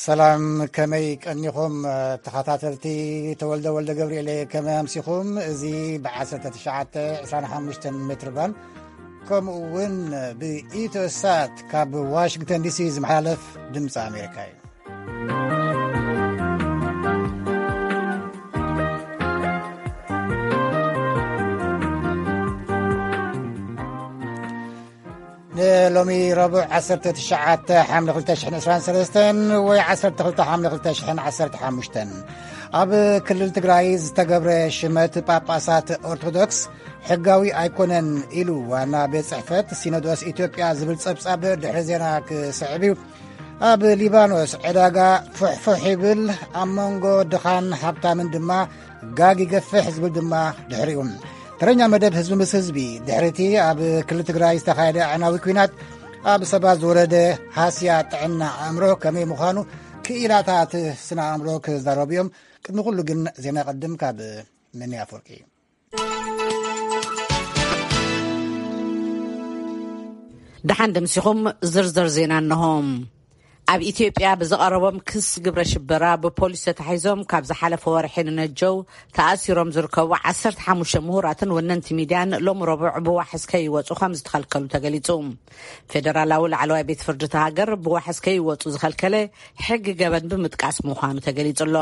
ሰላም፣ ከመይ ቀኒኹም ተኸታተልቲ? ተወልደ ወልደ ገብርኤል፣ ከመይ ኣምሲኹም? እዚ ብ1925 ሜትር ባንድ ከምኡ እውን ብኢትዮ ሳት ካብ ዋሽንግተን ዲሲ ዝመሓላለፍ ድምፂ ኣሜሪካ እዩ። ንሎሚ ረቡዕ 19 ሓምለ 2023 ወይ 12 ሓምለ 2015 ኣብ ክልል ትግራይ ዝተገብረ ሽመት ጳጳሳት ኦርቶዶክስ ሕጋዊ ኣይኮነን ኢሉ ዋና ቤት ጽሕፈት ሲኖዶስ ኢትዮጵያ ዝብል ጸብጻብ ድሕሪ ዜና ክስዕብ እዩ። ኣብ ሊባኖስ ዕዳጋ ፉሕፉሕ ይብል፣ ኣብ መንጎ ድኻን ሃብታምን ድማ ጋግ ይገፍሕ ዝብል ድማ ድሕሪኡ። ተረኛ መደብ ህዝቢ ምስ ህዝቢ ድሕሪቲ ኣብ ክልል ትግራይ ዝተኻየደ ኣዕናዊ ኲናት ኣብ ሰባት ዝወረደ ሃስያ ጥዕና ኣእምሮ ከመይ ምዃኑ ክኢላታት ስነ ኣእምሮ ክዛረቡ እዮም። ቅድሚ ኩሉ ግን ዜና ቀድም ካብ መኒ ኣፈወርቂ። ደሓን ደምሲኹም ዝርዝር ዜና እንሆ። ኣብ ኢትዮጵያ ብዝቐረቦም ክስ ግብረ ሽበራ ብፖሊስ ተታሒዞም ካብ ዝሓለፈ ወርሒ ንነጀው ተኣሲሮም ዝርከቡ 15 ምሁራትን ወነንቲ ሚድያን ሎም ረቡዕ ብዋሕስ ከይወፁ ከም ዝተኸልከሉ ተገሊፁ። ፌደራላዊ ላዕለዋይ ቤት ፍርዲ እታ ሃገር ብዋሕስ ከይወፁ ዝኸልከለ ሕጊ ገበን ብምጥቃስ ምዃኑ ተገሊፁ ኣሎ።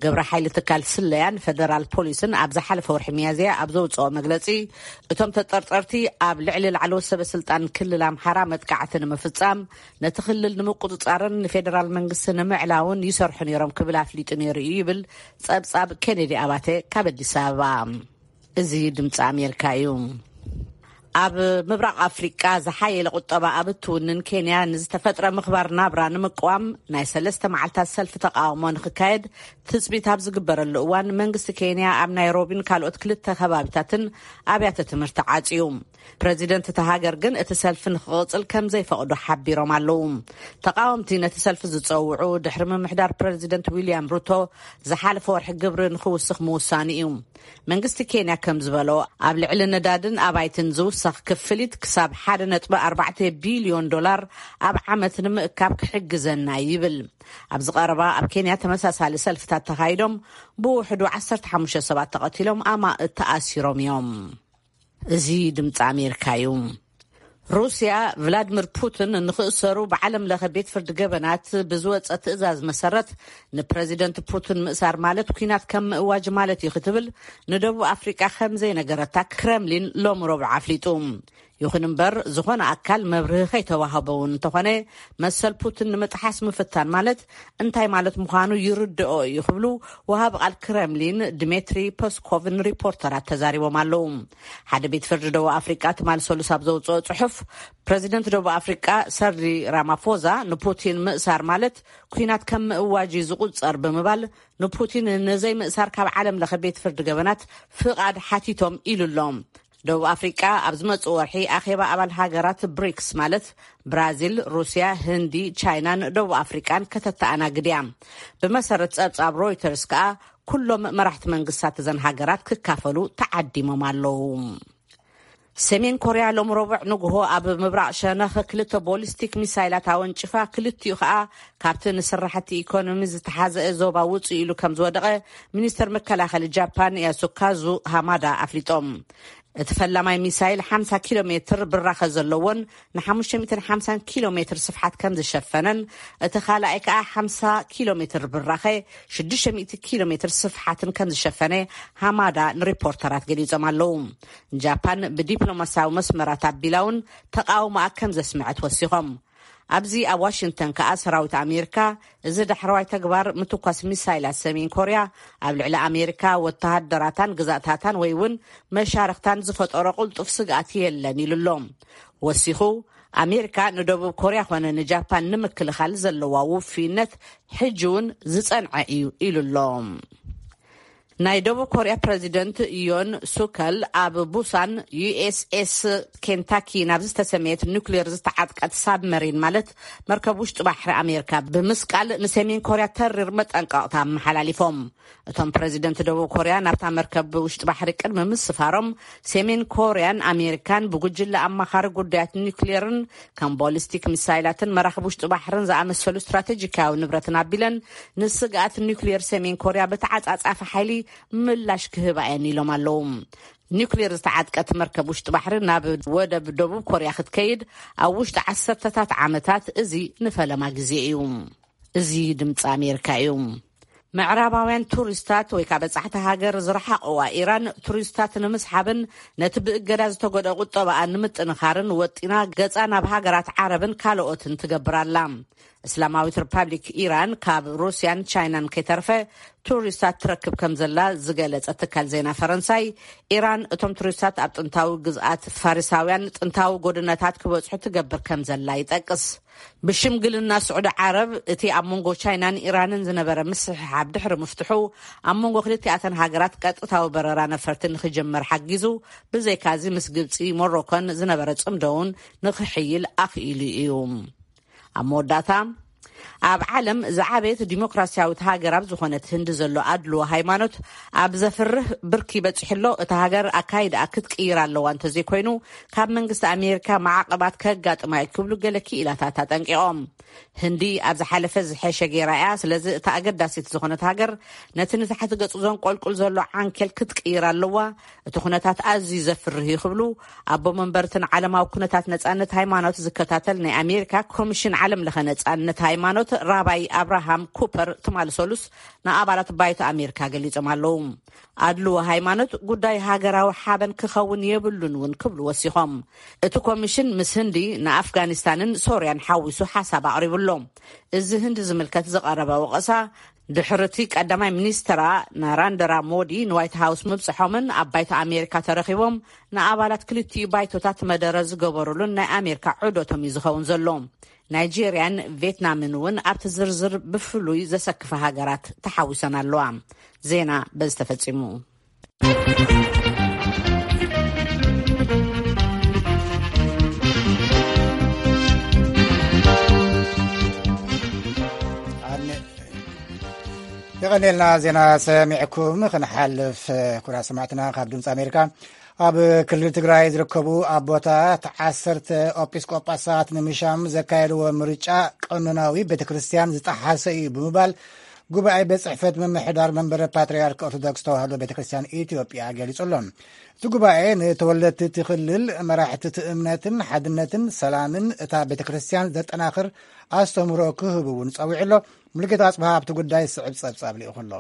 ግብረ ሓይሊ ትካል ስለያን ፌደራል ፖሊስን ኣብ ዝሓለፈ ወርሒ ሚያዝያ ኣብ ዘውፅኦ መግለፂ፣ እቶም ተጠርጠርቲ ኣብ ልዕሊ ላዕለዎት ሰበ ስልጣን ክልል ኣምሓራ መጥቃዕቲ ንምፍፃም፣ ነቲ ክልል ንምቁፅፃርን ንፌደራል መንግስቲ ንምዕላውን ይሰርሑ ነይሮም ክብል ኣፍሊጡ ነይሩ እዩ ይብል ጸብጻብ ኬኔዲ ኣባተ ካብ ኣዲስ ኣበባ። እዚ ድምፂ ኣሜሪካ እዩ። ኣብ ምብራቕ ኣፍሪቃ ዝሓየለ ቁጠባ ኣብ እትውንን ኬንያ፣ ንዝተፈጥረ ምኽባር ናብራ ንምቅዋም ናይ ሰለስተ መዓልታት ሰልፊ ተቃውሞ ንክካየድ ትጽቢት ኣብ ዝግበረሉ እዋን፣ መንግስቲ ኬንያ ኣብ ናይሮቢን ካልኦት ክልተ ከባቢታትን ኣብያተ ትምህርቲ ዓጽዩ። ፕረዚደንት እታ ሃገር ግን እቲ ሰልፊ ንክቕጽል ከም ዘይፈቕዱ ሓቢሮም ኣለዉ። ተቃወምቲ ነቲ ሰልፊ ዝጸውዑ ድሕሪ ምምሕዳር ፕረዚደንት ዊልያም ሩቶ ዝሓለፈ ወርሒ ግብሪ ንክውስኽ ምውሳኑ እዩ። መንግስቲ ኬንያ ከም ዝበሎ፣ ኣብ ልዕሊ ነዳድን ኣባይትን ዝውሰኽ ክፍሊት ክሳብ 1.4 ቢልዮን ዶላር ኣብ ዓመት ንምእካብ ክሕግዘና ይብል። ኣብዚ ቀረባ ኣብ ኬንያ ተመሳሳሊ ሰልፍታት ተኻይዶም፣ ብውሕዱ 15 ሰባት ተቐቲሎም፣ ኣማእት ተኣሲሮም እዮም። እዚ ድምፂ ኣሜሪካ እዩ። ሩስያ፣ ቭላድሚር ፑቲን ንክእሰሩ ብዓለም ለኸ ቤት ፍርዲ ገበናት ብዝወፀ ትእዛዝ መሰረት፣ ንፕረዚደንት ፑቲን ምእሳር ማለት ኲናት ከም ምእዋጅ ማለት እዩ ክትብል ንደቡብ ኣፍሪቃ ከም ዘይነገረታ ክረምሊን ሎሚ ረቡዕ ኣፍሊጡ። ይኹን እምበር፣ ዝኾነ ኣካል መብርሂ ከይተዋህቦ እውን እንተኾነ፣ መሰል ፑቲን ንምጥሓስ ምፍታን ማለት እንታይ ማለት ምዃኑ ይርድኦ እዩ ክብሉ ወሃቢ ቃል ክረምሊን ድሜትሪ ፐስኮቭ ንሪፖርተራት ተዛሪቦም ኣለዉ። ሓደ ቤት ፍርዲ ደቡብ ኣፍሪቃ ትማሊ ሰሉስ ኣብ ዘውፅኦ ጽሑፍ፣ ፕረዚደንት ደቡብ ኣፍሪቃ ሰርዲ ራማፎዛ ንፑቲን ምእሳር ማለት ኲናት ከም ምእዋጅ እዩ ዝቁጸር ብምባል፣ ንፑቲን ንዘይምእሳር ካብ ዓለም ለኸ ቤት ፍርዲ ገበናት ፍቓድ ሓቲቶም ኢሉ ኣሎ። ደቡብ ኣፍሪቃ ኣብ ዝመጽእ ወርሒ ኣኼባ ኣባል ሃገራት ብሪክስ ማለት ብራዚል፣ ሩስያ፣ ህንዲ፣ ቻይናን ደቡብ ኣፍሪቃን ከተተኣናግድ እያ። ብመሰረት ጸብጻብ ሮይተርስ ከኣ፣ ኩሎም መራሕቲ መንግስታት እዘን ሃገራት ክካፈሉ ተዓዲሞም ኣለዉ። ሰሜን ኮርያ ሎም ረቡዕ ንግሆ ኣብ ምብራቕ ሸነኽ ክልተ ቦሊስቲክ ሚሳይላት ኣወንጭፋ፣ ክልቲኡ ከኣ ካብቲ ንስራሕቲ ኢኮኖሚ ዝተሓዘ ዞባ ውጽእ ኢሉ ከም ዝወደቐ ሚኒስተር መከላኸሊ ጃፓን ያሱካዙ ሃማዳ ኣፍሊጦም። እቲ ፈላማይ ሚሳይል 50 ኪሎ ሜትር ብራኸ ዘለዎን ን550 ኪሎ ሜትር ስፍሓት ከም ዝሸፈነን፣ እቲ ካልኣይ ከኣ 50 ኪሎ ሜትር ብራኸ፣ 600 ኪሎ ሜትር ስፍሓትን ከም ዝሸፈነ ሃማዳ ንሪፖርተራት ገሊጾም ኣለዉ። ጃፓን ብዲፕሎማስያዊ መስመራት ኣቢላ እውን ተቃውሞኣ ከም ዘስምዐት ወሲኾም። ኣብዚ ኣብ ዋሽንግተን ከኣ ሰራዊት ኣሜሪካ፣ እዚ ዳሕረዋይ ተግባር ምትኳስ ሚሳይላት ሰሜን ኮርያ ኣብ ልዕሊ ኣሜሪካ፣ ወተሃደራታን ግዛእታታን ወይ እውን መሻርኽታን ዝፈጠሮ ቅልጡፍ ስግኣት የለን ኢሉ ኣሎ። ወሲኹ፣ ኣሜሪካ ንደቡብ ኮርያ ኾነ ንጃፓን ንምክልኻል ዘለዋ ውፍይነት ሕጂ እውን ዝጸንዐ እዩ ኢሉ ኣሎ። ናይ ደቡብ ኮርያ ፕረዚደንት ዮን ሱከል ኣብ ቡሳን ዩ ኤስ ኤስ ኬንታኪ ናብ ዝተሰመየት ኒውክሌር ዝተዓጥቀት ሳብመሪን፣ ማለት መርከብ ውሽጢ ባሕሪ ኣሜሪካ፣ ብምስቃል ንሰሜን ኮርያ ተሪር መጠንቀቕታ ኣመሓላሊፎም። እቶም ፕረዚደንት ደቡብ ኮርያ ናብታ መርከብ ውሽጢ ባሕሪ ቅድሚ ምስፋሮም፣ ሰሜን ኮርያን ኣሜሪካን ብጉጅለ ኣማኻሪ ጉዳያት ኒውክሌርን ከም ቦሊስቲክ ሚሳይላትን መራኽብ ውሽጢ ባሕርን ዝኣመሰሉ ስትራቴጂካዊ ንብረትን ኣቢለን ንስግኣት ኒውክሌር ሰሜን ኮርያ ብተዓጻጻፊ ሓይሊ ምላሽ ክህባ እየን ኢሎም ኣለዉ። ኒውክሌር ዝተዓጥቀት መርከብ ውሽጢ ባሕሪ ናብ ወደብ ደቡብ ኮርያ ክትከይድ ኣብ ውሽጢ ዓሰርተታት ዓመታት፣ እዚ ንፈለማ ግዜ እዩ። እዚ ድምፂ ኣሜሪካ እዩ። ምዕራባውያን ቱሪስታት ወይ ከዓ በጻሕቲ ሃገር ዝረሓቕዋ ኢራን፣ ቱሪስታት ንምስሓብን ነቲ ብእገዳ ዝተጎድአ ቁጠባኣ ንምጥንኻርን ወጢና ገጻ ናብ ሃገራት ዓረብን ካልኦትን ትገብር ኣላ። እስላማዊት ሪፓብሊክ ኢራን ካብ ሩስያን ቻይናን ከይተርፈ ቱሪስታት ትረክብ ከም ዘላ ዝገለጸ ትካል ዜና ፈረንሳይ፣ ኢራን እቶም ቱሪስታት ኣብ ጥንታዊ ግዝኣት ፋሪሳውያን ጥንታዊ ጎድነታት ክበጽሑ ትገብር ከም ዘላ ይጠቅስ። ብሽምግልና ስዑዲ ዓረብ፣ እቲ ኣብ መንጎ ቻይናን ኢራንን ዝነበረ ምስሕሓብ ድሕሪ ምፍትሑ፣ ኣብ መንጎ ክልቲኣተን ሃገራት ቀጥታዊ በረራ ነፈርቲ ንክጅመር ሓጊዙ፣ ብዘይካዚ ምስ ግብፂ፣ ሞሮኮን ዝነበረ ጽምዶ እውን ንክሕይል ኣኽኢሉ እዩ። ኣብ መወዳእታ፣ ኣብ ዓለም ዝዓበየት ዲሞክራሲያዊት ሃገር ኣብ ዝኾነት ህንዲ ዘሎ ኣድልዎ ሃይማኖት ኣብ ዘፍርህ ብርኪ በፂሑ ኣሎ። እታ ሃገር ኣካይዳኣ ክትቅይር ኣለዋ፣ እንተዘይኮይኑ ካብ መንግስቲ ኣሜሪካ ማዕቐባት ከጋጥማ እዩ ክብሉ ገለ ክኢላታት ኣጠንቂቖም። ህንዲ ኣብ ዝሓለፈ ዝሐሸ ገይራ እያ። ስለዚ እታ ኣገዳሲት ዝኾነት ሃገር ነቲ ንታሕቲ ገጹ ዘንቆልቁል ዘሎ ዓንኬል ክትቅይር ኣለዋ። እቲ ኩነታት ኣዝዩ ዘፍርህ እዩ ክብሉ ኣቦ መንበርትን ዓለማዊ ኩነታት ነጻነት ሃይማኖት ዝከታተል ናይ ኣሜሪካ ኮሚሽን ዓለም ለኸ ነጻነት ሃይማኖት ራባይ ኣብርሃም ኩፐር ትማሊ ሰሉስ ንኣባላት ባይቶ ኣሜሪካ ገሊጾም ኣለዉ። ኣድልዎ ሃይማኖት ጉዳይ ሃገራዊ ሓበን ክኸውን የብሉን እውን ክብሉ ወሲኾም። እቲ ኮሚሽን ምስ ህንዲ ንኣፍጋኒስታንን ሶርያን ሓዊሱ ሓሳብ ኣቕሪቡ ኣሎ። እዚ ህንዲ ዝምልከት ዝቐረበ ወቐሳ ድሕሪ እቲ ቀዳማይ ሚኒስትራ ናራንደራ ሞዲ ንዋይት ሃውስ ምብጽሖምን ኣብ ባይቶ ኣሜሪካ ተረኺቦም ንኣባላት ክልቲኡ ባይቶታት መደረ ዝገበሩሉን ናይ ኣሜሪካ ዑደቶም እዩ ዝኸውን ዘሎ። ናይጄርያን ቬትናምን እውን ኣብቲ ዝርዝር ብፍሉይ ዘሰክፈ ሃገራት ተሓዊሰን ኣለዋ። ዜና በዚ ተፈጺሙ። የቐኔልና ዜና ሰሚዕኩም ክንሓልፍ፣ ኩራ ሰማዕትና ካብ ድምፂ ኣሜሪካ። ኣብ ክልል ትግራይ ዝርከቡ ኣቦታት ዓሰርተ ኤጲስቆጳሳት ንምሻም ዘካየድዎ ምርጫ ቀኖናዊ ቤተ ክርስቲያን ዝጠሓሰ እዩ ብምባል ጉባኤ ቤት ጽሕፈት ምምሕዳር መንበረ ፓትርያርክ ኦርቶዶክስ ተዋህዶ ቤተ ክርስቲያን ኢትዮጵያ ገሊጹ ኣሎ። እቲ ጉባኤ ንተወለድቲ እቲ ክልል መራሕቲ እቲ እምነትን ሓድነትን ሰላምን እታ ቤተ ክርስቲያን ዘጠናኽር ኣስተምህሮ ክህቡ እውን ጸዊዑ ኣሎ። ሙሉጌታ ኣጽብሃ ኣብቲ ጉዳይ ስዕብ ጸብጻብ ልኢኹ ኣሎ።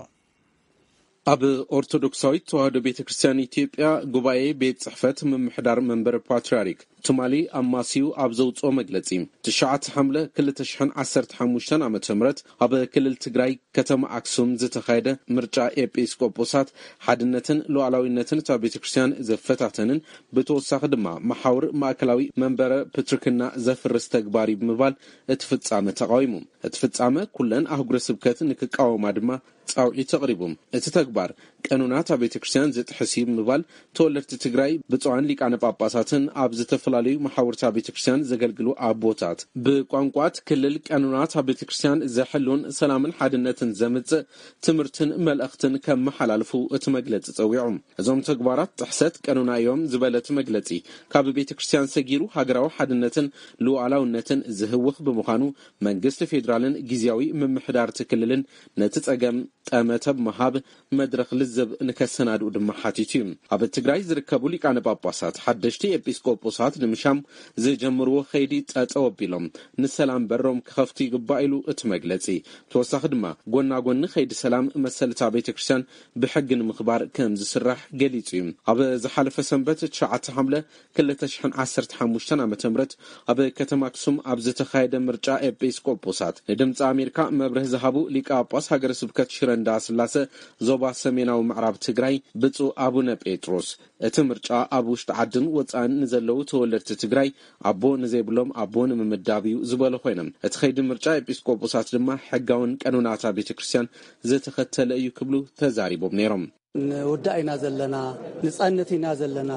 ኣብ ኦርቶዶክሳዊት ተዋህዶ ቤተ ክርስቲያን ኢትዮጵያ ጉባኤ ቤት ጽሕፈት ምምሕዳር መንበረ ፓትርያርክ ትማሊ ኣማስዩ ኣብ ዘውፅኦ መግለጺ፣ ትሽዓተ ሓምለ ክልተ ሽሕን ዓሰርተ ሓሙሽተን ዓመተ ምህረት ኣብ ክልል ትግራይ ከተማ ኣክሱም ዝተኻየደ ምርጫ ኤጲስቆጶሳት ሓድነትን ሉዓላዊነትን እታ ቤተ ክርስቲያን ዘፈታተንን ብተወሳኺ ድማ መሓውር ማእከላዊ መንበረ ፕትርክና ዘፍርስ ተግባር እዩ ብምባል እቲ ፍጻመ ተቃዊሙ። እቲ ፍጻመ ኩለን ኣህጉረ ስብከት ንክቃወማ ድማ ጻውዒት ኣቕሪቡ። እቲ ተግባር ቀኖናት ኣብ ቤተ ክርስቲያን ዝጥሕስ እዩ ብምባል ተወለድቲ ትግራይ ብፁዓን ሊቃነ ጳጳሳትን ኣብ ዝተፈላለዩ መሓውርታ ቤተ ክርስቲያን ዘገልግሉ ኣቦታት ብቋንቋት ክልል ቀኖናት ኣብ ቤተ ክርስቲያን ዘሕሉን ሰላምን ሓድነትን ዘምጽእ ትምህርትን መልእኽትን ከመሓላልፉ እቲ መግለጺ ጸዊዑ። እዞም ተግባራት ጥሕሰት ቀኖና እዮም ዝበለ እቲ መግለጺ፣ ካብ ቤተ ክርስቲያን ሰጊሩ ሃገራዊ ሓድነትን ሉዓላውነትን ዝህውኽ ብምዃኑ መንግስቲ ፌዴራልን ግዝያዊ ምምሕዳር እቲ ክልልን ነቲ ጸገም ጠመተ ብምሃብ መድረኽ ልዝብ ንከሰናድኡ ድማ ሓቲቱ እዩ። ኣብ ትግራይ ዝርከቡ ሊቃነ ጳጳሳት ሓደሽቲ ኤጲስቆጶሳት ንምሻም ዝጀምርዎ ኸይዲ ጠጠው ኣቢሎም ንሰላም በሮም ክኸፍቱ ይግባእ ኢሉ እቲ መግለጺ። ተወሳኺ ድማ ጎና ጎኒ ኸይዲ ሰላም መሰልታ ቤተ ክርስቲያን ብሕጊ ንምኽባር ከም ዝስራሕ ገሊጹ እዩ። ኣብ ዝሓለፈ ሰንበት ትሽዓተ ሓምለ ክልተ ሽሕን ዓሰርተ ሓሙሽተን ዓመተ ምህረት ኣብ ከተማ ኣክሱም ኣብ ዝተኻየደ ምርጫ ኤጲስቆጶሳት ንድምፂ ኣሜሪካ መብርሂ ዝሃቡ ሊቀ ጳጳስ ሃገረ ስብከት ሽረ እንዳስላሰ ዞባ ሰሜናዊ ምዕራብ ትግራይ ብፁዕ ኣቡነ ጴጥሮስ፣ እቲ ምርጫ ኣብ ውሽጢ ዓድን ወፃእን ንዘለዉ ተወለድቲ ትግራይ ኣቦ ንዘይብሎም ኣቦ ንምምዳብ እዩ ዝበሉ ኮይኖም፣ እቲ ኸይዲ ምርጫ ኤጲስቆጶሳት ድማ ሕጋውን ቀኖናታ ቤተ ክርስቲያን ዝተኸተለ እዩ ክብሉ ተዛሪቦም ነይሮም። ንውዳእ ኢና ዘለና፣ ንጸንት ኢና ዘለና፣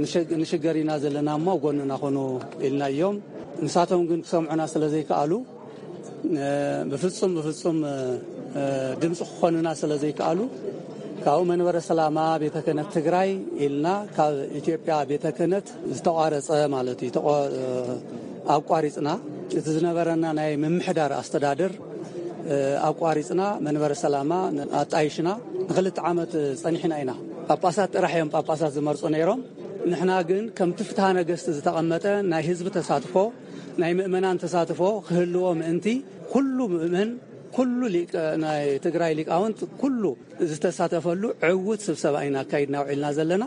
ንሸግ-፣ ንሽገር ኢና ዘለና እሞ ጎንና ኹኑ ኢልናዮም። ንሳቶም ግን ክሰምዑና ስለ ዘይከኣሉ፣ ብፍጹም፣ ብፍጹም ድምፂ ክኾኑና ስለ ዘይከኣሉ፣ ካብኡ መንበረ ሰላማ ቤተ ክህነት ትግራይ ኢልና ካብ ኢትዮጵያ ቤተ ክህነት ዝተቋረጸ ማለት እዩ። ተቋ-፣ ኣቋሪጽና፣ እቲ ዝነበረና ናይ ምምሕዳር ኣስተዳደር ኣቋሪጽና፣ መንበረ ሰላማ ኣጣይሽና፣ ንኽልተ ዓመት ጸኒሕና ኢና። ጳጳሳት ጥራሕ እዮም ጳጳሳት ዝመርጹ ነይሮም። ንሕና ግን ከምቲ ፍትሐ ነገስት ዝተቐመጠ ናይ ህዝቢ ተሳትፎ፣ ናይ ምእመናን ተሳትፎ ክህልዎ ምእንቲ፣ ኩሉ ምእመን፣ ኩሉ ሊቀ-፣ ናይ ትግራይ ሊቃውንት፣ ኩሉ ዝተሳተፈሉ ዕዉት ስብሰባ ኢና ኣካይድና ውዒልና ዘለና።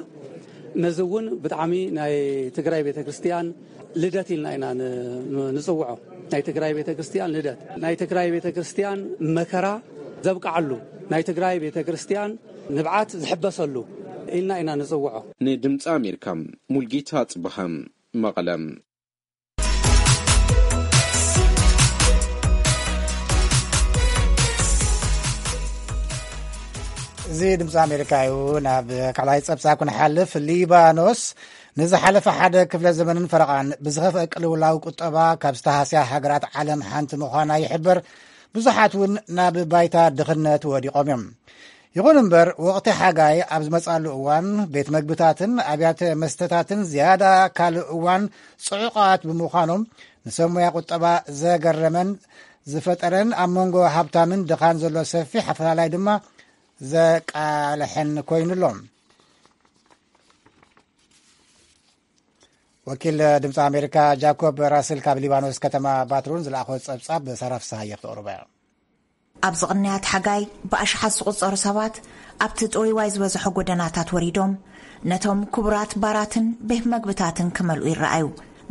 ነዚ እውን ብጣዕሚ ናይ ትግራይ ቤተ ክርስቲያን ልደት ኢልና ኢና ን-፣ ን-፣ ንጽውዖ። ናይ ትግራይ ቤተ ክርስቲያን ልደት፣ ናይ ትግራይ ቤተ ክርስቲያን መከራ ዘብቅዓሉ፣ ናይ ትግራይ ቤተ ክርስቲያን ንብዓት ዝሕበሰሉ ኢልና ኢና ንጽውዖ። ንድምፂ ኣሜሪካ፣ ሙልጌታ ጽብሃ፣ መቐለ። እዚ ድምፂ ኣሜሪካ እዩ። ናብ ካልኣይ ጸብጻብ ክንሓልፍ፣ ሊባኖስ ንዝሓለፈ ሓደ ክፍለ ዘመንን ፈረቓን ብዝኸፍአ ቅልውላው ቁጠባ ካብ ዝተሃስያ ሃገራት ዓለም ሓንቲ ምዃና ይሕበር። ብዙሓት እውን ናብ ባይታ ድኽነት ወዲቖም እዮም። ይኹን እምበር፣ ወቕቲ ሓጋይ ኣብ ዝመጻሉ እዋን፣ ቤት መግብታትን ኣብያተ መስተታትን ዝያዳ ካልእ እዋን ጽዑቓት ብምዃኖም፣ ንሰብ ሞያ ቁጠባ ዘገረመን ዝፈጠረን፣ ኣብ መንጎ ሃብታምን ድኻን ዘሎ ሰፊሕ ኣፈላላይ ድማ ዘቃልሐን ኮይኑ ኣሎ። ወኪል ድምፂ ኣሜሪካ ጃኮብ ራስል ካብ ሊባኖስ ከተማ ባትሩን ዝለኣኾ ጸብጻብ ሳራ ፍስሃየ ክተቕርቦ እያ። ኣብዚ ቅንያት ሓጋይ ብኣሽሓት ዝቑጸሩ ሰባት ኣብቲ ጥውይዋይ ዝበዝሖ ጎደናታት ወሪዶም ነቶም ክቡራት ባራትን ቤት መግብታትን ክመልኡ ይረኣዩ።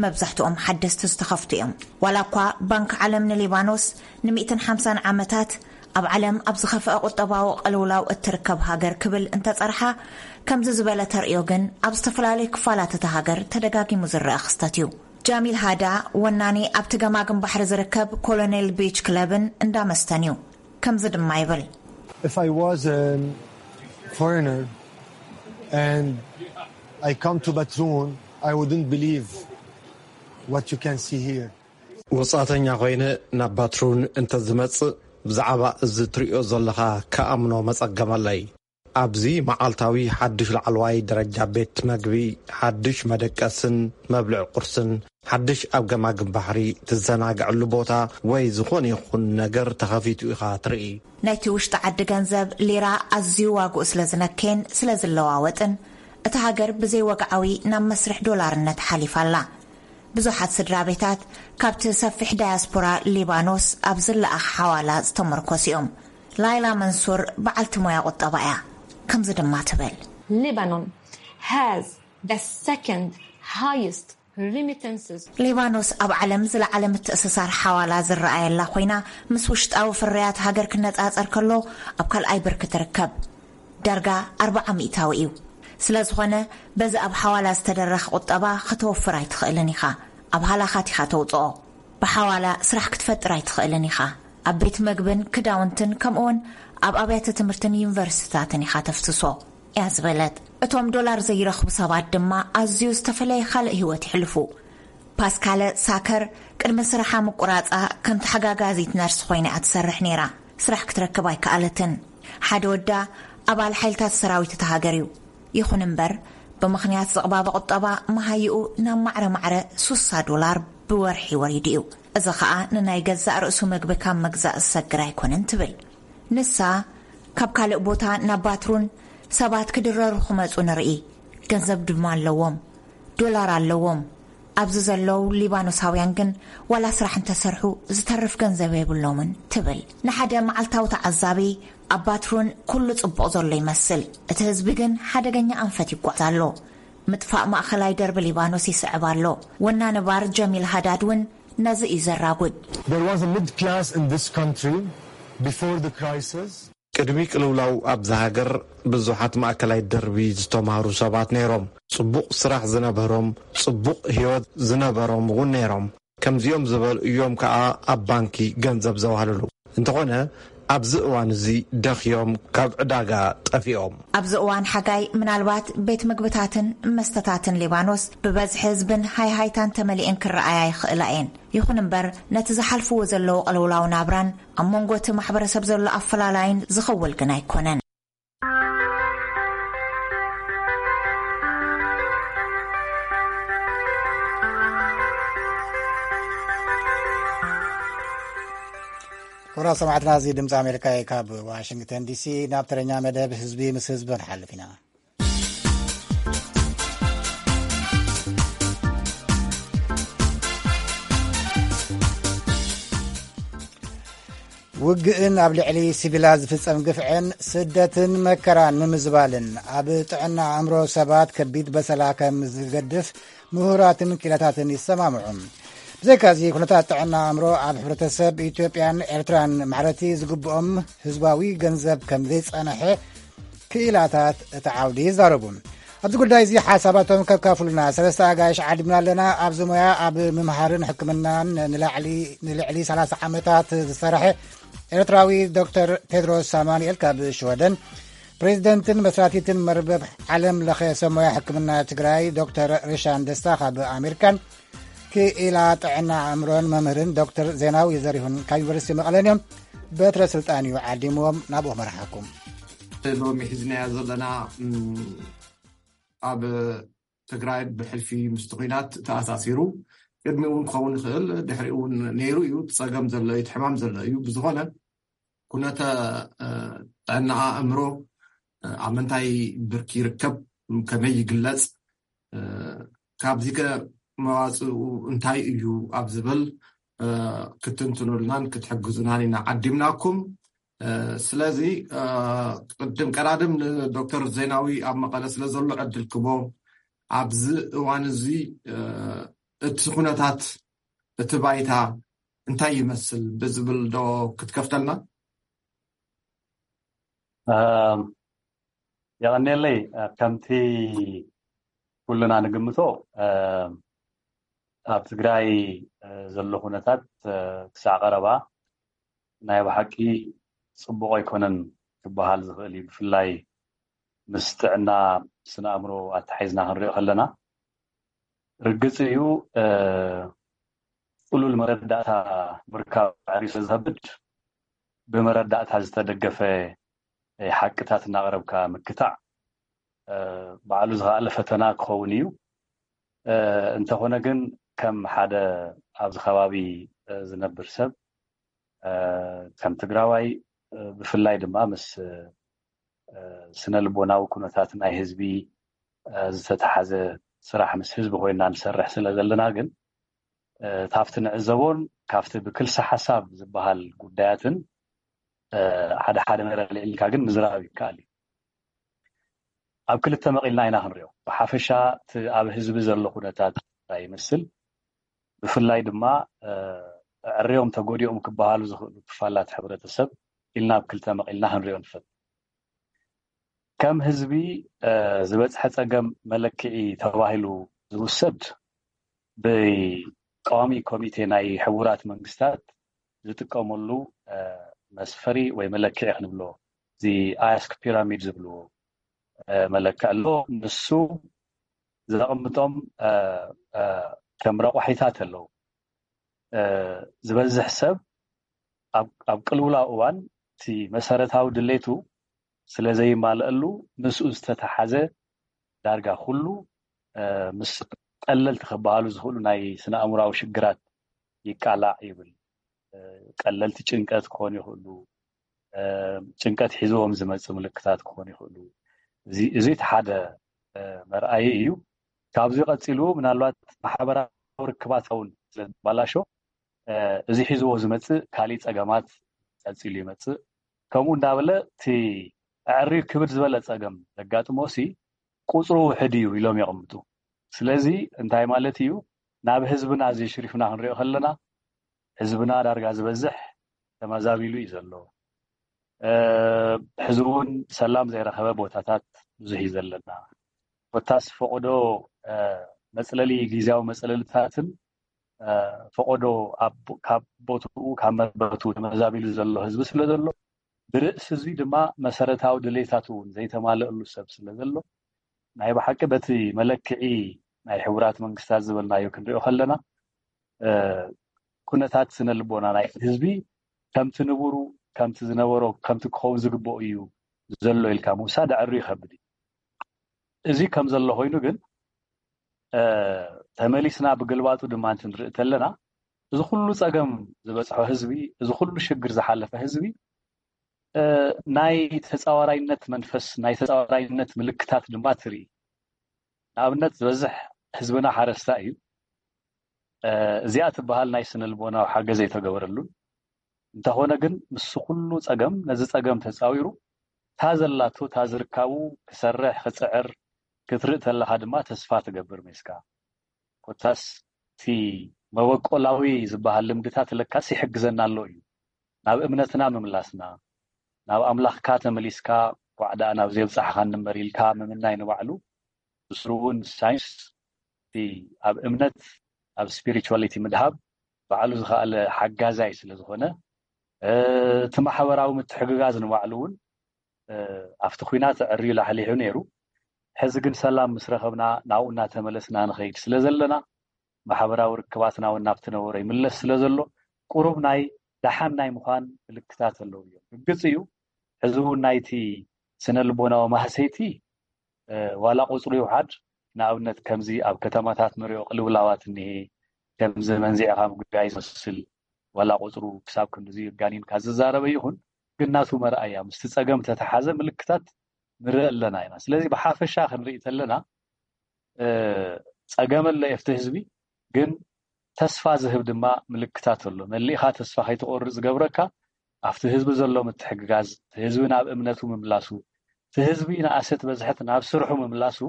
መብዛሕትኦም ሓደስቲ ዝተኸፍቱ እዮም። ዋላ እኳ ባንክ ዓለም ንሊባኖስ ን150 ዓመታት ኣብ ዓለም ኣብ ዝኸፍአ ቁጠባዊ ቅልውላው እትርከብ ሃገር ክብል እንተጸርሓ፣ ከምዚ ዝበለ ተርእዮ ግን ኣብ ዝተፈላለዩ ክፋላት እታ ሃገር ተደጋጊሙ ዝረአ ክስተት እዩ። ጃሚል ሃዳ ወናኒ ኣብቲ ገማግም ባሕሪ ዝርከብ ኮሎኔል ቢች ክለብን እንዳ መስተን እዩ። ከምዚ ድማ ይብል። If I was a foreigner and I come to Batroun, I wouldn't believe what you can see here. ወጻእተኛ ኮይነ ናብ ባትሩን እንተ ዝመጽእ፣ ብዛዕባ እዚ ትርእዮ ዘለኻ ክኣምኖ መጸገመለይ። ኣብዚ መዓልታዊ ሓድሽ ላዕለዋይ ደረጃ ቤት መግቢ፣ ሓድሽ መደቀስን መብልዒ ቁርስን፣ ሓድሽ ኣብ ገማግም ባሕሪ ትዘናግዐሉ ቦታ ወይ ዝኾነ ይኹን ነገር ተኸፊቱ ኢኻ ትርኢ። ናይቲ ውሽጢ ዓዲ ገንዘብ ሊራ ኣዝዩ ዋግኡ ስለ ዝነከየን ስለ ዝለዋወጥን፣ እታ ሃገር ብዘይ ወግዓዊ ናብ መስርሕ ዶላርነት ሓሊፋ ኣላ። ብዙሓት ስድራ ቤታት ካብቲ ሰፊሕ ዳያስፖራ ሊባኖስ ኣብ ዝለኣኽ ሓዋላ ዝተመርኮሱ እዮም። ላይላ መንሱር በዓልቲ ሞያ ቁጠባ እያ። ከምዚ ድማ ትብል። Lebanon has the second highest remittances. ሊባኖስ ኣብ ዓለም ዝለዓለ ምትእስሳር ሓዋላ ዝረኣየላ ኮይና፣ ምስ ውሽጣዊ ፍርያት ሃገር ክነጻጸር ከሎ ኣብ ካልኣይ ብርኪ ትርከብ። ዳርጋ ኣርብዓ ሚእታዊ እዩ። ስለ ዝኾነ፣ በዚ ኣብ ሓዋላ ዝተደረኸ ቁጠባ ከተወፍር ኣይትኽእልን ኢኻ። ኣብ ሃላኻት ኢኻ ተውጽኦ። ብሓዋላ ስራሕ ክትፈጥር ኣይትኽእልን ኢኻ። ኣብ ቤት መግብን ክዳውንትን ከምኡውን ኣብ ኣብያተ ትምህርትን ዩኒቨርሲቲታትን ኢኻ ተፍስሶ እያ ዝበለት። እቶም ዶላር ዘይረኽቡ ሰባት ድማ ኣዝዩ ዝተፈለየ ካልእ ህይወት ይሕልፉ። ፓስካለ ሳከር ቅድሚ ስራሓ ምቁራጻ ከም ተሓጋጋዚት ነርስ ኮይና እያ ትሰርሕ ነይራ። ስራሕ ክትረክብ ኣይከኣለትን። ሓደ ወዳ ኣባል ሓይልታት ሰራዊት እታ ሃገር እዩ። ይኹን እምበር፣ ብምኽንያት ዝቕባበ ቁጠባ መሃይኡ ናብ ማዕረ ማዕረ ሱሳ ዶላር ብወርሒ ወሪዱ እዩ። እዚ ኸኣ ንናይ ገዛእ ርእሱ መግቢ ካብ ምግዛእ ዝሰግር ኣይኮነን ትብል። ንሳ፣ ካብ ካልእ ቦታ ናብ ባትሩን ሰባት ክድረሩ ክመጹ ንርኢ። ገንዘብ ድማ ኣለዎም። ዶላር ኣለዎም። ኣብዚ ዘለዉ ሊባኖሳውያን ግን ዋላ ስራሕ እንተሰርሑ ዝተርፍ ገንዘብ የብሎምን ትብል። ንሓደ መዓልታዊ ተዓዛቢ ኣብ ባትሩን ኩሉ ጽቡቕ ዘሎ ይመስል። እቲ ህዝቢ ግን ሓደገኛ ኣንፈት ይጓዝ ኣሎ። ምጥፋእ ማእኸላይ ደርቢ ሊባኖስ ይስዕብ ኣሎ። ወናኒ ባር ጀሚል ሃዳድ እውን ነዚ እዩ ዘራጉድ። There was a middle class in this country before the crisis. ቅድሚ ቅልውላው ኣብዛ ሃገር ብዙሓት ማእከላይ ደርቢ ዝተማህሩ ሰባት ነይሮም። ጽቡቕ ስራሕ ዝነበሮም፣ ጽቡቕ ህይወት ዝነበሮም እውን ነይሮም። ከምዚኦም ዝበሉ እዮም ከኣ ኣብ ባንኪ ገንዘብ ዘዋህልሉ። እንተኾነ፣ ኣብዚ እዋን እዚ ደኽዮም ካብ ዕዳጋ ጠፊኦም። ኣብዚ እዋን ሓጋይ ምናልባት ቤት ምግብታትን መስተታትን ሊባኖስ ብበዝሒ ህዝብን ሃይሃይታን ተመሊኤን ክረኣያ ይኽእላ እየን። ይኹን እምበር ነቲ ዝሓልፍዎ ዘለዉ ቅልውላው ናብራን ኣብ መንጎ እቲ ማሕበረሰብ ዘሎ ኣፈላላይን ዝኽውል ግን ኣይኮነን። ክቡራት ሰማዕትና፣ እዚ ድምፂ ኣሜሪካ እዩ። ካብ ዋሽንግተን ዲሲ ናብ ተረኛ መደብ ህዝቢ ምስ ህዝቢ ክንሓልፍ ኢና። ውግእን ኣብ ልዕሊ ሲቪላት ዝፍጸም ግፍዕን ስደትን መከራን ንምዝባልን ኣብ ጥዕና ኣእምሮ ሰባት ከቢድ በሰላ ከም ዝገድፍ ምሁራትን ክኢላታትን ይሰማምዑ። ብዘይካዚ ኩነታት ጥዕና ኣእምሮ ኣብ ሕብረተሰብ ኢትዮጵያን ኤርትራን ማዕረቲ ዝግብኦም ህዝባዊ ገንዘብ ከም ዘይጸንሐ ክኢላታት እቲ ዓውዲ ይዛረቡ። ኣብዚ ጉዳይ እዚ ሓሳባቶም ከካፍሉና ሰለስተ ኣጋይሽ ዓዲምና ኣለና። ኣብዚ ሞያ ኣብ ምምሃርን ሕክምናን ንላዕሊ ንልዕሊ ሰላሳ ዓመታት ዝሰርሐ ኤርትራዊ ዶክተር ቴድሮስ ኣማኑኤል ካብ ሽወደን፣ ፕሬዚደንትን መስራቲትን መርበብ ዓለም ለኸ ሰብ ሞያ ሕክምና ትግራይ ዶክተር ሪሻን ደስታ ካብ ኣሜሪካን ክኢላ ጥዕና ኣእምሮን መምህርን ዶክተር ዜናዊ ዘሪሁን ካብ ዩኒቨርሲቲ መቐለን እዮም። በትረ ስልጣን እዩ ዓዲምዎም። ናብኡ መርሓኩም። ሎሚ ሒዝናዮ ዘለና፣ እም፣ ኣብ ትግራይ ብሕልፊ ምስቲ ኲናት ተኣሳሲሩ፣ ቅድሚኡ እውን ክኸውን ይኽእል፣ ድሕሪኡ እውን ነይሩ እዩ። እቲ ጸገም ዘሎ እዩ፣ እቲ ሕማም ዘሎ እዩ። ብዝኾነ ኩነተ፣ እ፣ ጥዕና ኣእምሮ፣ እ፣ ኣብ ምንታይ ብርኪ ይርከብ፣ ከመይ ይግለጽ፣ እ፣ ካብዚ ከ መዋጽኡ እንታይ እዩ ኣብ ዝብል፣ እ፣ ክትንትኑልናን ክትሕግዙናን ኢና ዓዲምናኩም። እ፣ ስለዚ፣ እ፣ ቅድም ቀዳድም ንዶክተር ዜናዊ ኣብ መቐለ ስለ ዘሎ ዕድል ክቦ፣ ኣብዚ እዋን እዚ፣ እ፣ እቲ ኩነታት፣ እቲ ባይታ እንታይ ይመስል ብዝብል ዶ ክትከፍተልና? እም፣ የቐንየለይ። እ፣ ከምቲ ኩልና ንግምቶ፣ እም፣ ኣብ ትግራይ፣ እ፣ ዘሎ ኩነታት፣ እ፣ ክሳዕ ቀረባ ናይ ብሓቂ ጽቡቕ ኣይኮነን ክበሃል ዝኽእል እዩ። ብፍላይ ምስ ጥዕና ስነ ኣእምሮ ኣተሓሒዝና ክንሪኦ ከለና፣ ርግጽ እዩ፣ እ፣ ጽሉል መረዳእታ ምርካብ ኣዕርዩ ስለ ዝኸብድ፣ ብመረዳእታ ዝተደገፈ፣ እ፣ ሓቅታት እናቕረብካ ምክታዕ፣ እ፣ ባዕሉ ዝኸኣለ ፈተና ክኸውን እዩ። እ፣ እንተኾነ ግን ከም ሓደ ኣብዚ ከባቢ፣ እ፣ ዝነብር ሰብ፣ እ፣ ከም ትግራዋይ፣ እ፣ ብፍላይ ድማ ምስ፣ እ፣ ስነ ልቦናዊ ኩነታት ናይ ህዝቢ፣ እ፣ ዝተተሓዘ ስራሕ ምስ ህዝቢ ኮይና ንሰርሕ ስለ ዘለና ግን፣ እ፣ ካብቲ ንዕዘቦን ካብቲ ብክልሲ ሓሳብ ዝበሃል ጉዳያትን፣ እ፣ ሓደ ሓደ ነገር ኣልዒልካ ግን ምዝራብ ይከኣል እዩ። ኣብ ክልተ መቒልና ኢና ክንሪኦ። ብሓፈሻ እቲ ኣብ ህዝቢ ዘሎ ኩነታት እንታይ ይመስል፣ ብፍላይ ድማ፣ እ፣ ኣዕርዮም ተጎዲኦም ክበሃሉ ዝኽእሉ ክፋላት ሕብረተሰብ ኢልና ኣብ ክልተ መቒልና ክንሪኦ ንፈት። ከም ህዝቢ፣ እ፣ ዝበጽሐ ጸገም መለክዒ ተባሂሉ ዝውሰድ ብቀዋሚ ኮሚቴ ናይ ሕቡራት መንግስታት ዝጥቀመሉ፣ እ፣ መስፈሪ ወይ መለክዒ ክንብሎ፣ እዚ ኣያስክ ፒራሚድ ዝብልዎ፣ እ፣ መለክዒ ኣሎ። ንሱ ዘቕምጦም፣ እ፣ እ፣ ከም ረቋሒታት ኣለዉ። እ፣ ዝበዝሕ ሰብ ኣብ፣ ኣብ ቅልውላው እዋን እቲ መሰረታዊ ድሌቱ ስለ ዘይማልአሉ ምስኡ ዝተተሓዘ ዳርጋ ኩሉ፣ እ፣ ምስ ቀለልቲ ክበሃሉ ዝኽእሉ ናይ ስነ ኣእምራዊ ሽግራት ይቃላዕ ይብል። እ፣ ቀለልቲ ጭንቀት ክኾኑ ይኽእሉ፣ እ፣ ጭንቀት ሒዝዎም ዝመጽእ ምልክታት ክኾኑ ይኽእሉ። እዚ፣ እዚ እቲ ሓደ፣ እ፣ መርኣዪ እዩ። ካብዚ ቀጺሉ ምናልባት ማሕበራዊ ርክባት እውን ስለ ዝበላሾ፣ እ፣ እዚ ሒዝዎ ዝመጽእ ካሊእ ጸገማት ቀጺሉ ይመጽእ። ከምኡ እንዳበለ እቲ ኣዕርዩ ክብድ ዝበለ ጸገም ዘጋጥሞ ሲ ቁጽሩ ውሕድ እዩ ኢሎም የቐምጡ። ስለዚ እንታይ ማለት እዩ? ናብ ህዝብና እዚ ሽሪፍና ክንሪኦ ከለና፣ ህዝብና ዳርጋ ዝበዝሕ ተመዛቢሉ እዩ ዘሎ። እ፣ ሕዚ እውን ሰላም ዘይረኸበ ቦታታት ብዙሕ እዩ ዘለና። ኮታስ ፈቐዶ፣ እ፣ መጽለሊ፣ ግዝያዊ መጽለልታትን፣ እ፣ ፈቐዶ ኣብ፣ ካብ ቦትኡ፣ ካብ መርበቱ ተመዛቢሉ ዘሎ ህዝቢ ስለ ዘሎ፣ ብርእሲ እዚ ድማ መሰረታዊ ድሌታት እውን ዘይተማለእሉ ሰብ ስለ ዘሎ ናይ ብሓቂ በቲ መለክዒ ናይ ሕቡራት መንግስታት ዝበልናዮ ክንሪኦ ከለና ኩነታት ስነ ልቦና ናይ ህዝቢ ከምቲ ንቡሩ ከምቲ ዝነበሮ ከምቲ ክኸውን ዝግበኦ እዩ ዘሎ ኢልካ ምውሳድ ኣዕርዩ ይኸብድ እዩ። እዚ ከም ዘሎ ኮይኑ ግን ተመሊስና ብግልባጡ ድማ እንትንርኢ ተለና እዚ ኩሉ ፀገም ዝበፅሖ ህዝቢ፣ እዚ ኩሉ ሽግር ዝሓለፈ ህዝቢ ናይ ተፃዋራይነት መንፈስ ናይ ተፃዋራይነት ምልክታት ድማ ትርኢ። ንኣብነት ዝበዝሕ ህዝብና ሓረስታ እዩ። እዚኣ ትበሃል ናይ ስነ ልቦናዊ ሓገዝ ኣይተገበረሉን። እንተኾነ ግን ምስ ኩሉ ፀገም ነዚ ፀገም ተፃዊሩ እታ ዘላቶ እታ ዝርካቡ ክሰርሕ ክፅዕር ክትርኢ ተለኻ ድማ ተስፋ ትገብር ሜስካ። ኮታስ እቲ መበቆላዊ ዝበሃል ልምድታት ለካስ ይሕግዘና ኣሎ እዩ። ናብ እምነትና ምምላስና፣ ናብ ኣምላኽካ ተመሊስካ ጓዕዳ ናብ ዘብፃሕኻ እንበር ኢልካ ምምናይ ንባዕሉ ብስሩ እውን ሳይንስ እቲ ኣብ እምነት ኣብ ስፒሪቹዋሊቲ ምድሃብ ባዕሉ ዝኸኣለ ሓጋዛይ ስለ ዝኾነ እቲ ማሕበራዊ ምትሕግጋዝ ንባዕሉ እውን ኣብቲ ኩናት ዕርዩ ላሕሊሑ ነይሩ። ሕዚ ግን ሰላም ምስ ረኸብና ናብኡ እናተመለስና ንኸይድ ስለ ዘለና ማሕበራዊ ርክባትና እውን ናብቲ ነበሮ ይምለስ ስለ ዘሎ ቁሩብ ናይ ደሓን ናይ ምዃን ምልክታት ኣለዉ እዮም። ርግፅ እዩ ሕዚ እውን ናይቲ ስነ ልቦናዊ ማህሰይቲ ዋላ ቁፅሩ ይውሓድ ንኣብነት ከምዚ ኣብ ከተማታት ንሪኦ ቅልውላዋት እኒሄ ከምዚ መንዚዕኻ ምጉዳይ ዝመስል ዋላ ቁፅሩ ክሳብ ክንድዚ ጋኒንካ ዝዛረበ ይኹን ግን ናቱ መርኣያ ምስቲ ፀገም ተተሓዘ ምልክታት ንርኢ ኣለና ኢና። ስለዚ ብሓፈሻ ክንርኢ ተለና ፀገም ኣሎ የፍቲ ህዝቢ ግን ተስፋ ዝህብ ድማ ምልክታት ኣሎ። መሊእኻ ተስፋ ከይትቆርፅ ዝገብረካ ኣብቲ ህዝቢ ዘሎ ምትሕግጋዝ፣ እቲ ህዝቢ ናብ እምነቱ ምምላሱ፣ እቲ ህዝቢ ንኣሰት በዝሐት ናብ ስርሑ ምምላሱ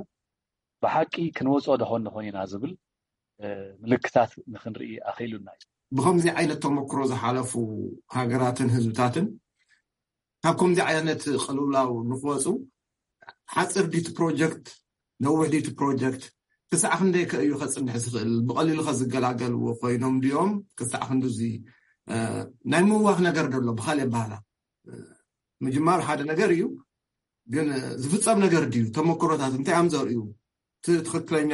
ብሓቂ ክንወፅኦ ደኾን ንኾን ኢና ዝብል ምልክታት ንክንርኢ ኣኽኢሉና እዩ። ብከምዚ ዓይነት ተመክሮ ዝሓለፉ ሃገራትን ህዝብታትን ካብ ከምዚ ዓይነት ቅልውላው ንክወፁ ሓፂር ድዩ እቲ ፕሮጀክት ነዊሕ ድዩ እቲ ፕሮጀክት ክሳዕ ክንደይ ከ እዩ ከፅንሕ ዝኽእል? ብቐሊሉ ከ ዝገላገልዎ ኮይኖም ድዮም? ክሳዕ ክንድዚ ናይ ምዋኽ ነገር ደሎ ብካልእ ኣባህላ ምጅማር ሓደ ነገር እዩ፣ ግን ዝፍፀም ነገር ድዩ? ተመክሮታት እንታይ እዮም ዘርእዩ? እቲ ትኽክለኛ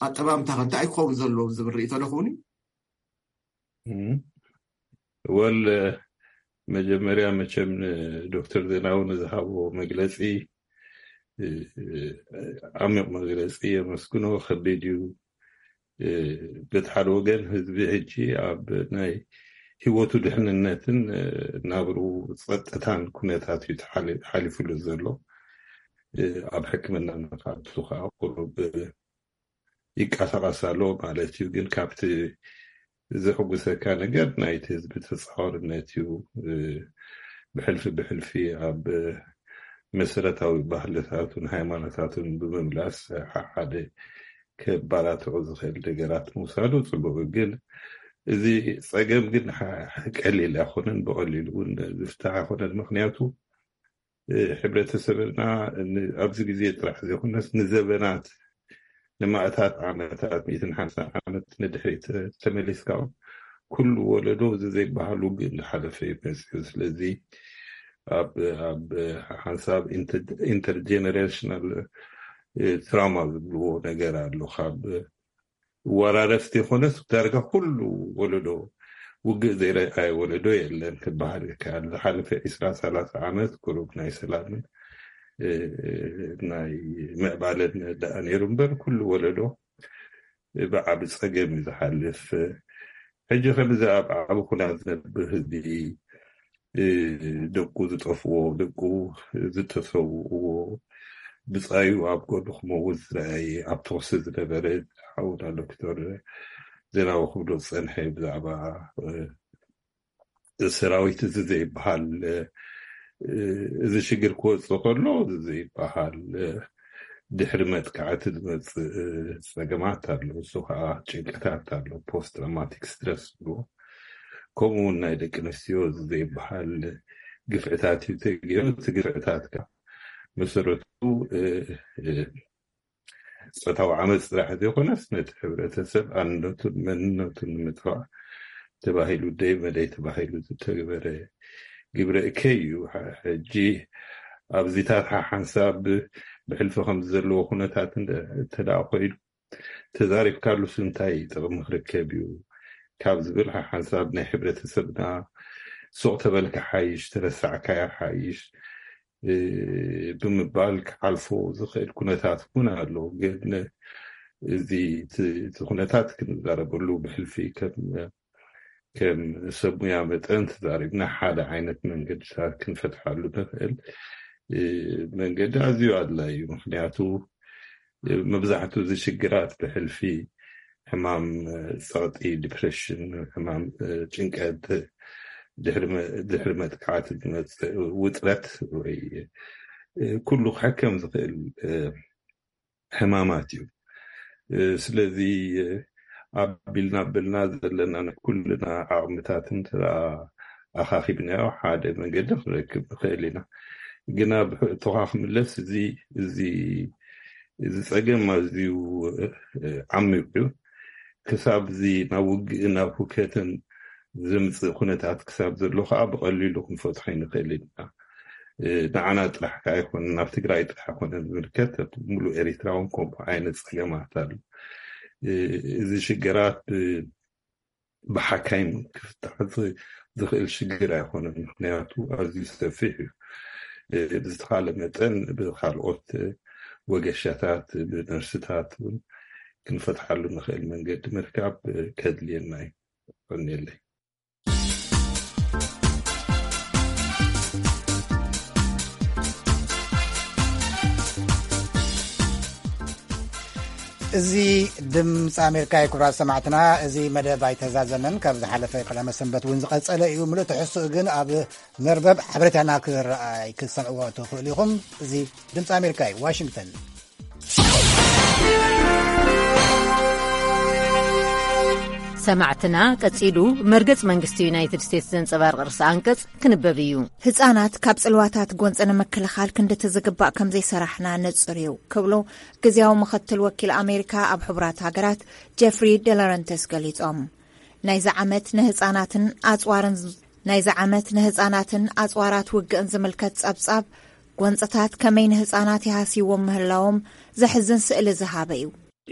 ኣጠማምታ ከ እንታይ ክኸውን ዘለዎ ዝብል ርእይቶ ዶ ክኸውን እዩ? ወል መጀመርያ መቸም ንዶክተር ዜናዊ ንዝሃቦ መግለፂ ዓሚቕ መግለፂ የመስግኖ። ከቢድ እዩ። በቲ ሓደ ወገን ህዝቢ ሕጂ ኣብ ናይ ህይወቱ ድሕንነትን ናብሩ ፀጥታን ኩነታት እዩ ሓሊፉሉ ዘሎ። ኣብ ሕክምና ንካቱ ከዓ ቁሩብ ይቀሳቀስ ኣሎ ማለት እዩ። ግን ካብቲ ዘሕጉሰካ ነገር ናይቲ ህዝቢ ተፃዋርነት እዩ። ብሕልፊ ብሕልፊ ኣብ መሰረታዊ ባህልታቱን ሃይማኖታቱን ብምምላስ ሓደ ከባላትዑ ዝኽእል ነገራት ምውሳዱ ፅቡቅ። ግን እዚ ፀገም ግን ቀሊል ኣይኮነን፣ ብቀሊሉ እውን ዝፍታሕ ኣይኮነን። ምክንያቱ ሕብረተሰብና ኣብዚ ግዜ ጥራሕ ዘይኮነስ ንዘበናት ንማእታት ዓመታት ሚእትን ሓምሳን ዓመት ንድሕሪት ተመሊስካ ኩሉ ወለዶ እዚ ዘይበሃል ውግእ እንዳሓለፈ እዩ መፅኡ። ስለዚ ኣብ ኣብ ሓንሳብ ኢንተርጀነሬሽናል ትራማ ዝብልዎ ነገር ኣሎ። ካብ ወራረስቲ ይኾነስ ዳርጋ ኩሉ ወለዶ ውግእ ዘይረኣየ ወለዶ የለን ክበሃል ይከኣል። ዝሓለፈ ዒስራ ሰላሳ ዓመት ቁሩብ ናይ ሰላምን ናይ ምዕባለን ደኣ ነይሩ እምበር ኩሉ ወለዶ ብዓቢ ጸገም እዩ ዝሓልፍ። ሕጂ ከምዚ ኣብ ዓቢ ኩናት ዝነብር ህዝቢ ደቁ ዝጠፍዎ፣ ደቁ ዝተሰውእዎ፣ ብጻዩ ኣብ ጎድኑ ክመውት ዝረኣየ፣ ኣብ ተኹሲ ዝነበረ ሓውና ዶክተር ዜናዊ ክብሎ ዝጸንሐ ብዛዕባ ሰራዊት እዚ ዘይበሃል እዚ ሽግር ክወፅእ ከሎ እዚ ዘይበሃል ድሕሪ መጥቃዕቲ ዝመፅእ ፀገማት ኣሎ። እሱ ከዓ ጭንቀታት ኣሎ፣ ፖስት ትራውማቲክ ስትረስ ዝብልዎ። ከምኡ እውን ናይ ደቂ ኣንስትዮ እዚ ዘይበሃል ግፍዕታት እዩ ተገይሩ። እቲ ግፍዕታት ከዓ መሰረቱ ፆታዊ ዓመፅ ጥራሕ ዘይኮነስ ነቲ ሕብረተሰብ ኣንነቱን መንነቱን ንምጥፋእ ተባሂሉ ደይ መደይ ተባሂሉ ዝተግበረ ግብረ እከይ እዩ። ሕጂ ኣብዚታት ሓሓንሳብ ብሕልፊ ከም ዘለዎ ኩነታት እንተ ደኣ ኮይኑ፣ ተዛሪብካሉስ እንታይ ጥቕሚ ክርከብ እዩ ካብ ዝብል ሓሓንሳብ ናይ ሕብረተሰብና ሱቕ ተበልካ ሓይሽ፣ ተረሳዕካያ ሓይሽ፣ እ፣ ብምባል ክሓልፎ ዝኽእል ኩነታት እውን ኣሎ። ግን እዚ እቲ፣ እቲ ኩነታት ክንዛረበሉ ብሕልፊ ከም፣ ከም ሰብ ሙያ መጠን ተዛሪብና ሓደ ዓይነት መንገድታት ክንፈትሓሉ ንኽእል፣ እ፣ መንገዲ ኣዝዩ ኣድላዪ እዩ። ምኽንያቱ መብዛሕትኡ እዚ ሽግራት ብሕልፊ ሕማም ጸቕጢ፣ ዲፕሬሽን፣ ሕማም ጭንቀት፣ ድሕሪ መ-፣ ድሕሪ መጥቃዕቲ ዝመጽእ ውጥረት ወይ ኩሉ ክሕከም ዝኽእል ሕማማት እዩ። ስለዚ ኣቢልና ኣቢልና ዘለና ናይ ኩልና ዓቕምታትን ኣኻኺብናዮ ሓደ መንገዲ ክንረክብ ንኽእል ኢና። ግና ብሕቶኻ ክምለስ፣ እዚ፣ እዚ፣ እዚ ጸገም ኣዝዩ ዓሚቕ እዩ። ክሳብ እዚ ናብ ውግእን ናብ ሁከትን ዝምጽእ ኩነታት ክሳብ ዘሎ ከኣ ብቐሊሉ ክንፈትሖ ኣይንኽእል ኢና። ንዓና ጥራሕ ከኣ ኣይኮነን፣ ናብ ትግራይ ጥራሕ ኣይኮነን ዝምልከት፣ ኣብ ሙሉእ ኤሪትራ እውን ከምኡ ዓይነት ጸገማት ኣሎ። እዚ ሽግራት ብ-፣ ብሓካይም ክፍታሕ ዝ-፣ ዝኽእል ሽግር ኣይኮነን። ምኽንያቱ ኣዝዩ ሰፊሕ እዩ። ብዝተኻለ መጠን ብኻልኦት ወገሻታት፣ ብነርስታት እውን ክንፈትሓሉ ንኽእል መንገዲ ምርካብ ከድልየና እዩ። ቀንየለይ። እዚ ድምፂ ኣሜሪካ እዩ። ክቡራት ሰማዕትና፣ እዚ መደብ ኣይተዛዘመን። ካብ ዝሓለፈ ቀዳመ ሰንበት እውን ዝቐጸለ እዩ። ምሉእ ትሕዝትኡ ግን ኣብ መርበብ ሓበሬታና ክረኣይ ክትሰምዕዎ ትኽእሉ ኢኹም። እዚ ድምፂ ኣሜሪካ እዩ፣ ዋሽንግተን። ሰማዕትና፣ ቀጺሉ መርገጽ መንግስቲ ዩናይትድ ስቴትስ ዘንጸባርቕ ርእሰ ኣንቀጽ ክንበብ እዩ። ህጻናት ካብ ጽልዋታት ጎንጺ ንምክልኻል ክንድቲ ዝግባእ ከም ዘይሰራሕና ንጹር እዩ ክብሉ ግዝያዊ ምኽትል ወኪል ኣሜሪካ ኣብ ሕቡራት ሃገራት ጀፍሪ ደላረንተስ ገሊጾም። ናይዚ ዓመት ንህጻናትን ኣጽዋርን፣ ናይዚ ዓመት ንህጻናትን ኣጽዋራት ውግእን ዝምልከት ጸብጻብ ጎንጽታት ከመይ ንህጻናት ይሃስይዎም ምህላዎም ዘሕዝን ስእሊ ዝሃበ እዩ።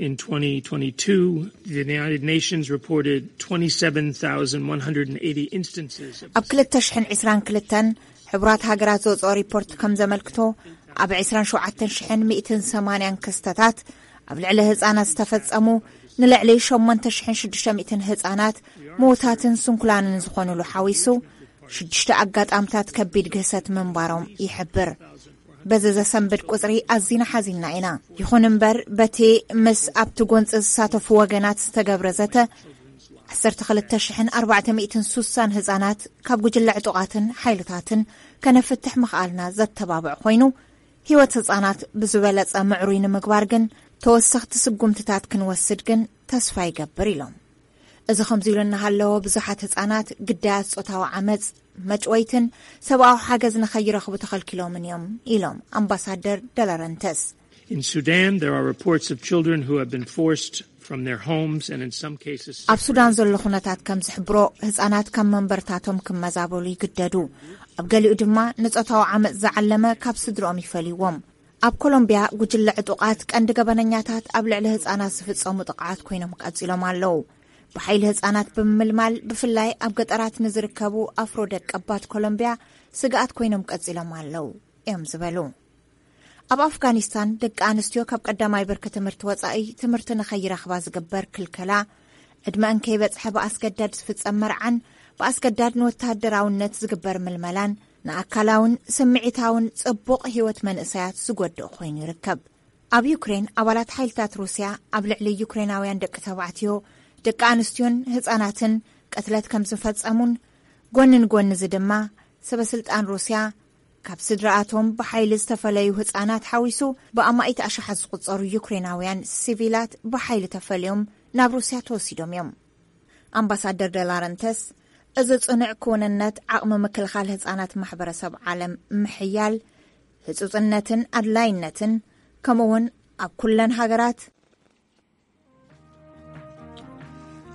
In twenty twenty-two, the United Nations reported twenty-seven thousand one hundred eighty instances of ኣብ ክልተ ሽሕን ዕስራን ክልተን ሕቡራት ሃገራት ዘውፅኦ ሪፖርት ከም ዘመልክቶ፣ ኣብ ዕስራን ሸውዓተን ሽሕን ሚእትን ሰማንያን ክስተታት ኣብ ልዕሊ ህፃናት ዝተፈፀሙ፣ ንልዕሊ ሸሞንተ ሽሕን ሽዱሽተ ሚእትን ህፃናት ምዉታትን ስንኩላንን ዝኾኑሉ ሓዊሱ ሽዱሽተ ኣጋጣምታት ከቢድ ግህሰት ምንባሮም ይሕብር። በዚ ዘሰንብድ ቁፅሪ ኣዚና ሓዚንና ኢና። ይኹን እምበር፣ በቲ ምስ ኣብቲ ጎንፂ ዝሳተፉ ወገናት ዝተገብረ ዘተ፣ ዓሰርተ ክልተ ሽሕን ኣርባዕተ ሚእትን ሱሳን ህፃናት ካብ ጉጅለ ዕጡቓትን ሓይልታትን ከነፍትሕ ምኽኣልና ዘተባብዕ ኮይኑ፣ ህይወት ህፃናት ብዝበለፀ ምዕሩይ ንምግባር ግን ተወሰኽቲ ስጉምትታት ክንወስድ ግን ተስፋ ይገብር ኢሎም። እዚ ከምዚ ኢሉ እናሃለወ፣ ብዙሓት ህፃናት ግዳያት ጾታዊ ዓመፅ፣ መጭወይትን ሰብኣዊ ሓገዝ ንኸይረኽቡ ተኸልኪሎምን እዮም ኢሎም ኣምባሳደር ደላረንተስ። In Sudan, there are reports of children who have been forced from their homes and in some cases ኣብ ሱዳን ዘሎ ኩነታት ከም ዝሕብሮ፣ ህፃናት ካብ መንበርታቶም ክመዛበሉ ይግደዱ። ኣብ ገሊኡ ድማ ንጾታዊ ዓመፅ ዝዓለመ ካብ ስድርኦም ይፈልይዎም። ኣብ ኮሎምቢያ ጉጅለ ዕጡቓት ቀንዲ ገበነኛታት ኣብ ልዕሊ ህፃናት ዝፍጸሙ ጥቕዓት ኮይኖም ቀጺሎም ኣለዉ። ብሓይሊ ህፃናት ብምምልማል፣ ብፍላይ ኣብ ገጠራት ንዝርከቡ ኣፍሮ ደቀባት ኮሎምቢያ ስግኣት ኮይኖም ቀጺሎም ኣለዉ እዮም ዝበሉ። ኣብ ኣፍጋኒስታን፣ ደቂ ኣንስትዮ ካብ ቀዳማይ ብርኪ ትምህርቲ ወጻኢ ትምህርቲ ንኸይረኽባ ዝግበር ክልከላ፣ ዕድመአን ከይበጽሐ ብኣስገዳድ ዝፍጸም መርዓን ብኣስገዳድ ንወተሃደራውነት ዝግበር ምልመላን ንኣካላውን ስምዒታውን ጽቡቕ ህይወት መንእሰያት ዝጎድእ ኮይኑ ይርከብ። ኣብ ዩክሬን፣ ኣባላት ሓይልታት ሩስያ ኣብ ልዕሊ ዩክሬናውያን ደቂ ተባዕትዮ፣ ደቂ ኣንስትዮን ህጻናትን ቅትለት ከም ዝፈጸሙን፣ ጎኒ ንጎኒ እዚ ድማ ሰበ ስልጣን ሩስያ ካብ ስድራኣቶም ብሓይሊ ዝተፈለዩ ህጻናት ሓዊሱ ብኣማኢት ኣሽሓት ዝቑጸሩ ዩክሬናውያን ሲቪላት ብሓይሊ ተፈልዮም ናብ ሩስያ ተወሲዶም እዮም። ኣምባሳደር ደላረንተስ፣ እዚ ጽኑዕ ክውንነት ዓቕሚ ምክልኻል ህጻናት ማሕበረሰብ ዓለም ምሕያል፣ ህጹጽነትን ኣድላይነትን፣ ከምኡ እውን ኣብ ኩለን ሃገራት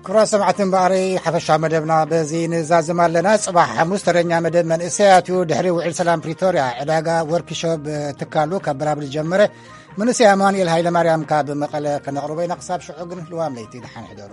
ክቡራት ሰማዕቲ እምበኣረይ፣ ሓፈሻዊ መደብና በዚ ንዛዝም ኣለና። ጽባሕ ሓሙስ ተረኛ መደብ መንእሰያት እዩ። ድሕሪ ውዕል ሰላም ፕሪቶርያ፣ ዕዳጋ ወርክሾፕ ትካሉ ካብ ብራብል ጀመረ። መንእሰይ ኣማኑኤል ሃይለ ማርያም ካብ መቐለ ከነቕርቦ ኢና። ክሳብ ሽዑ ግን ልዋም ለይቲ ደሓን ሕደሩ።